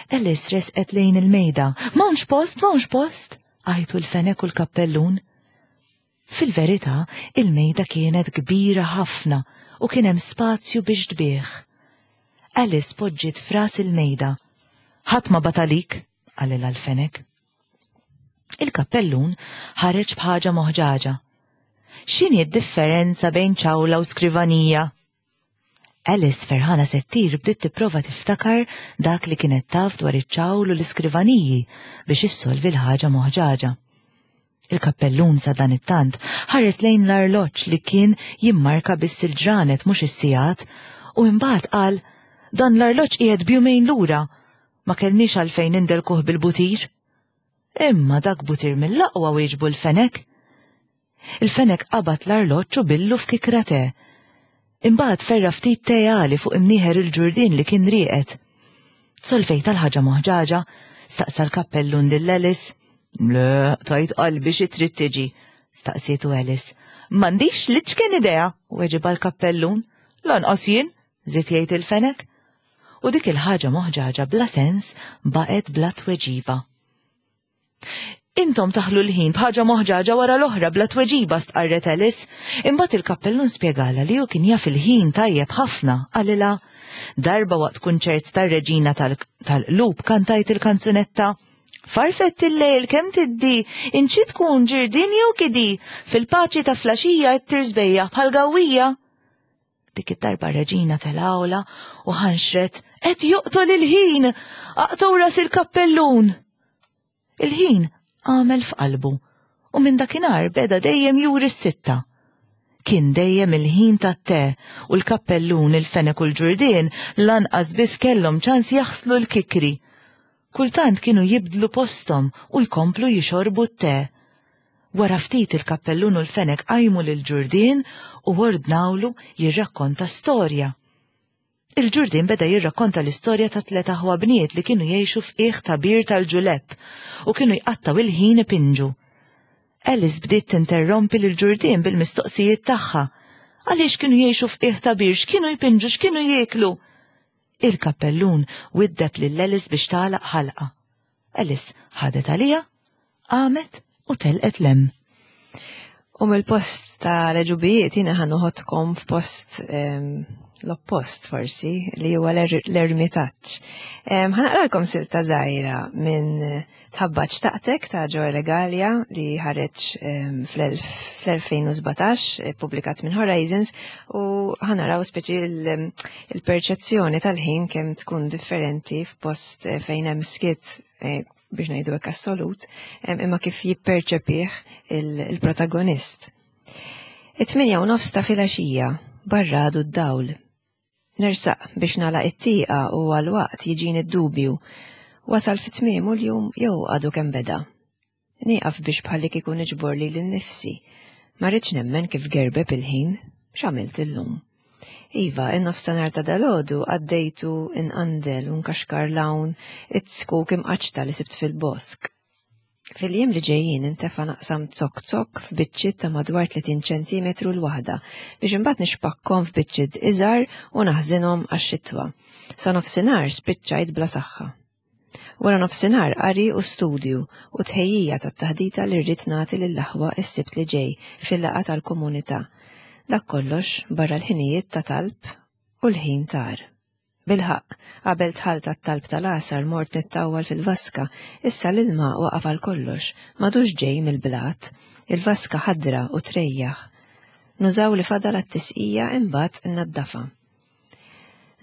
Alice resqet lejn il-mejda. M'hawnx post, m'hawnx post! Għajtu l-fenek u l-kappellun. Fil-verità, il-mejda kienet kbira ħafna u kien hemm spazju biex tbigħ. Alice poġġiet f'ras il-mejda. Ħadd ma batalik, qalilha l-fenek. Il-kappellun ħareġ b'ħaġa moħġaġa. X'inhi d-differenza bejn ċawla u skrivanija? Alice ferħana se ttir bdiet tipprova tiftakar dak li kienet taf dwar iċ-ċawl u l-iskrivaniji biex issolvi l-ħaġa moħġaġa. Il-kappellun sa dan it-tant ħares lejn l-arloġġ li kien jimmarka biss il-ġranet mhux is-sigħat u imbagħad qal dan l-arloġġ qiegħed b'jumejn lura, ma kellniex għalfejn indelkuh bil-butir. Imma dak butir mill-aqwa wieġbu l-fenek. Il-fenek qabad l-arloġġ u billu f'kikra te. Imbagħad ferra ftit te għali fuq imnieħer il-ġurdien li kien rieqed. Solvejt għal ħaġa moħġaġa, staqsa l-kappellun lil Alice. Le, tajt qalbi xi trid tiġi, staqsietu Alice. M'għandix l-iċken idea, weġibha l-kappellun. Lanqas jien, żied jgħid il-fenek. U dik il-ħaġa moħġaġa bla sens baqgħet bla tweġiba. Intom taħlu l-ħin b'ħaġa moħġaġa wara l-oħra bla tweġiba stqarret Alice. Imbagħad il-kappellun spjegalha li hu kien jaf il-ħin tajjeb ħafna, qalilha, Darba waqt kunċert tar-Reġina tal-Qlub kantajt il-kanzunetta Farfett il-lejl kemm tiddi, inċi tkun ġirdin jew kidi, fil-paċi ta' flaxija qed tirsbejjaħ bħal gawwija. Dik id-darba reġina tal-awla u ħanxret qed joqtol il-ħin, aqtgħu ras il-kappellun. Il-ħin għamel f'qalbu u minn dakinhar beda dejjem juri s-sitta. Kien dejjem il-ħin tat-te u l-kappellun, il-fenek u l-ġurdien lanqas biss kellhom ċans jaħslu l-kikri. Kultant kienu jibdlu posthom u jkomplu jixorbu t-te. Wara ftit il-kappellun u l-fenek qajmu lill-ġurdien u ordnawlu jirrakkonta storja. Il-ġurdien beda jirrakkonta l-istorja ta' tliet aħwa bniet li kienu jgħixu f'qiegħ ta' bir tal-ġulepp u kienu jqattgħu il-ħin ipinġu. Alice bdiet tinterrompi lill-ġurdien bil-mistoqsijiet tagħha. Għaliex kienu jgħixu f'qiegħ ta' bir, x'kienu jpinġu, x'kienu jieklu? Il-kappellun widdeb lil Alice biex tagħlaq ħalqha. Alice ħadet għaliha, qamet u telqet 'l hemm. U mill-post ta' l-għeġubijiet jiena ħa noħodkom f'post l-oppost forsi li huwa l-ermitaġġ. Ħa naqralkom silta żgħira minn Tħabbat Xtaqtek ta' Joel Egalia li ħareġ fl-2017, publikat minn Horizons, u ħanaraw speċi il-perċezzjoni tal-ħin kemm tkun differenti f'post eh, fejn hemm skit eh, biex ngħidu hekk assolut, imma kif jipperċepih il-protagonist. It-8:30 ta' filgħaxija, barra għadu d-dawl. Nersaq biex nagħlaq it-tieqa u għal waqt jiġini d-dubju, wasal fi tmiemu l-jum jew għadu kemm beda. Nieqaf biex bħalli kieku niġbor lili nnifsi. Ma rridx nemmen kif gerbeb il-ħin. X'għamilt illum? Iva, in-nofstanhar ta' dalgħodu għaddejtu inqandel u nkaxkar 'l hawn it-zkuk imqaċċta li sibt fil-bosk. Fil-jiem li ġejjin intefa' naqsam zokk zokk f'biċċiet ta' madwar 30 ċentimetru l-waħda biex imbagħad nixpakkhom f'biċċiet iżgħar u naħżinhom għax-xitwa. Sa nofsinhar spiċċajt bla saħħa. Wara nofsinhar qari u studju u tħejjija tat-taħdita li rrid nagħti lill-aħwa s-Sibt li ġej fil-laqgħa tal-komunità. Dak kollox barra l-ħinijiet ta' talb u l-ħin tar. Bilħaqq, qabel dħalt għat-talb tal-għasar mort nittawwal fil-vaska, issa l-ilma waqaf għal kollox, m'għadux ġej mill-blat, il-vaska ħadra u trejjaħ. Nużaw li fadal għat-tisqija imbagħad innaddafha.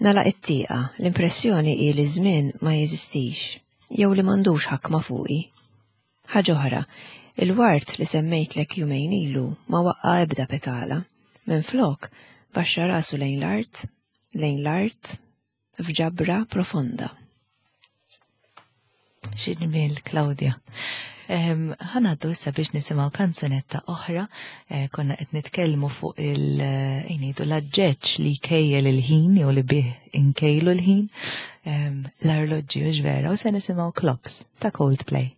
Nagħlaq it-tieqa, l-impressjoni hi li ż-żmien ma jeżistix, jew li m'għandux ħakma fuqi. Ħaġa oħra, il-ward li semmejtlek jumejn ilu ma waqqa' ebda petala. Minflok, baxxa rasu lejn l-art, lejn l-art, f'ġabra profonda. Xi ġmiel, Claudia. Ħanaddu issa biex nisimgħu kanzunetta oħra, eh, konna qed nitkellmu fuq il eh, ngħidu l-aġġeġġ li jkejjel il-ħin jew li bih inkejlu l-ħin, l-arloġġi u vera, u se nisimgħu Clocks ta' Coldplay.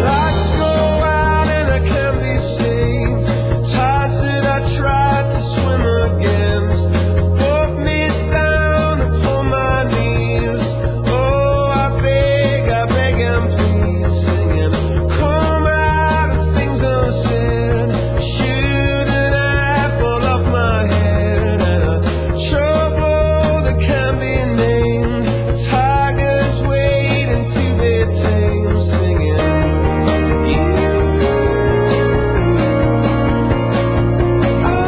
Lights go out and I can't be saved. Tides that I tried to swim against brought me down upon my knees. Oh, I beg and plead, singing, come out of things unsaid. Shoot an apple off my head and a trouble that can't be named. A tiger's waiting to be tamed, singing. You are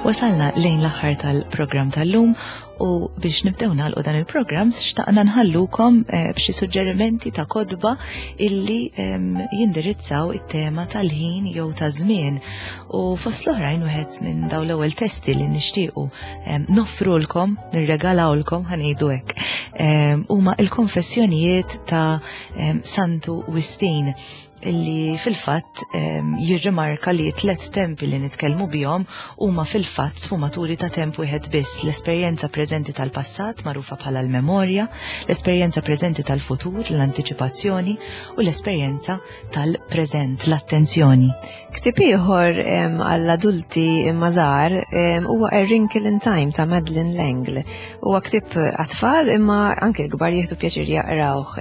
Wasalna lejn l-aħħar tal-programm tal-lum u biex nibdew nagħlqu dan il-programm xtaqna nħallukom eh, b'xi suġġerimenti ta' kodba illi jindirizzaw it-tema tal-ħin jew ta' żmien. U fost l-oħrajn wieħed minn dawn l-ewwel testi li nixtiequ noffrulkom, nirregalawlkom ħanejdu hekk, huma il-konfessjonijiet ta' Santu Wistin illi fil-fatt jirrimarka li tlet tempi li nitkellmu bihom huma fil-fatt sfumaturi ta' temp wieħed biss, l-esperjenza preżenti tal-passat magħrufa bħala l-memorja, l-esperjenza preżenti tal-futur, l-antiċipazzjoni, u l-esperjenza tal-preżent, l-attenzjoni. Ktieb ieħor għall-adulti imma żgħar huwa A Wrinkle in Time ta' Madeleine L'Engle. Huwa ktieb għat-tfal imma anke l-kbar jieħdu pjaċir jaqrawh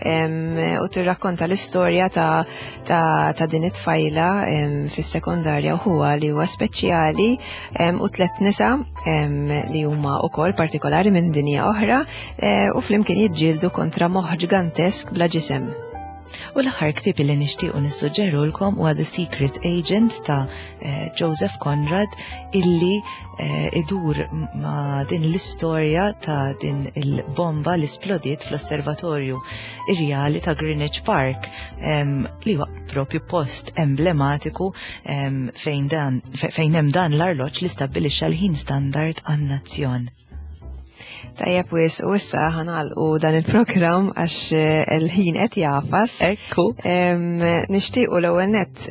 u tirrakkonta l-istorja ta', ta, ta din it-tfajla fis-sekondarja u ħuha li huwa speċjali u tlet nisa li huma wkoll partikolari minn dinja oħra eh, u flimkien jiġġieldu kontra moħħ ġigantesk bla ġisem. U l-aħħar ktieb li nixtiequ nissuġġerulkom huwa The Secret Agent ta' eh, Joseph Conrad illi eh, idur ma' din l-istorja ta' din il-bomba li splodiet fl-Osservatorju Irjali ta' Greenwich Park li huwa propju post emblematiku fejn dan fejn hemm dan l-arloġġ li stabbilixxa l-ħin standard għan-nazzjon. Tajjeb wis u issa ħanalqu dan il-programm għax eh, il-ħin qed jafas. Ekku. Nixtiequ l-ewwel nett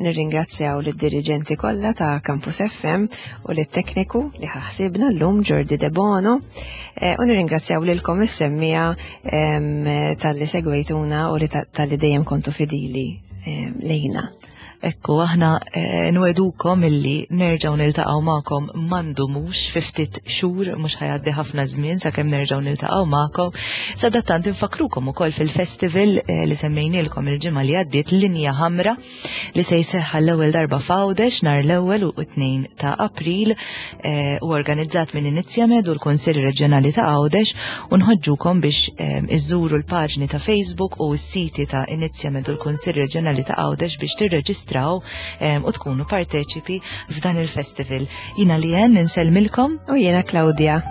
nirringrazzjaw lid-diriġenti kollha ta' Campus FM u lit-tekniku li ħaħsibna llum Jordi De Bono eh, u nirringrazzjaw lilkom is-semmija talli segwejtuna u li talli dejjem kontu fidili lejna. Ekku, aħna eh, nwedukom illi nerġaw niltaqgħu magħkom mandumux fi ftit xhur mhux ħajgħaddi ħafna żmien sakemm nerġgħu niltaqgħu magħkom. Sadattant infakrukom ukoll fil-festival eh, li semmejnielkom il-ġimgħa li għaddiet Linja Ħamra li se jseħħa l-ewwel darba f'Għawdex nhar l-ewwel u tnejn ta' April eh, u organizzat minn Inizjamed u l-Kunsill Reġjonali ta' Għawdex u nħoġġukom biex ehm, iżżuru l-paġni ta' Facebook u s-siti ta' Inizjamed u l-Kunsill Reġjonali ta' Għawdex biex tirreġistraw ehm, u tkunu parteċipi f'dan il-festival. Jina li jen insellmilkom u jiena Claudia.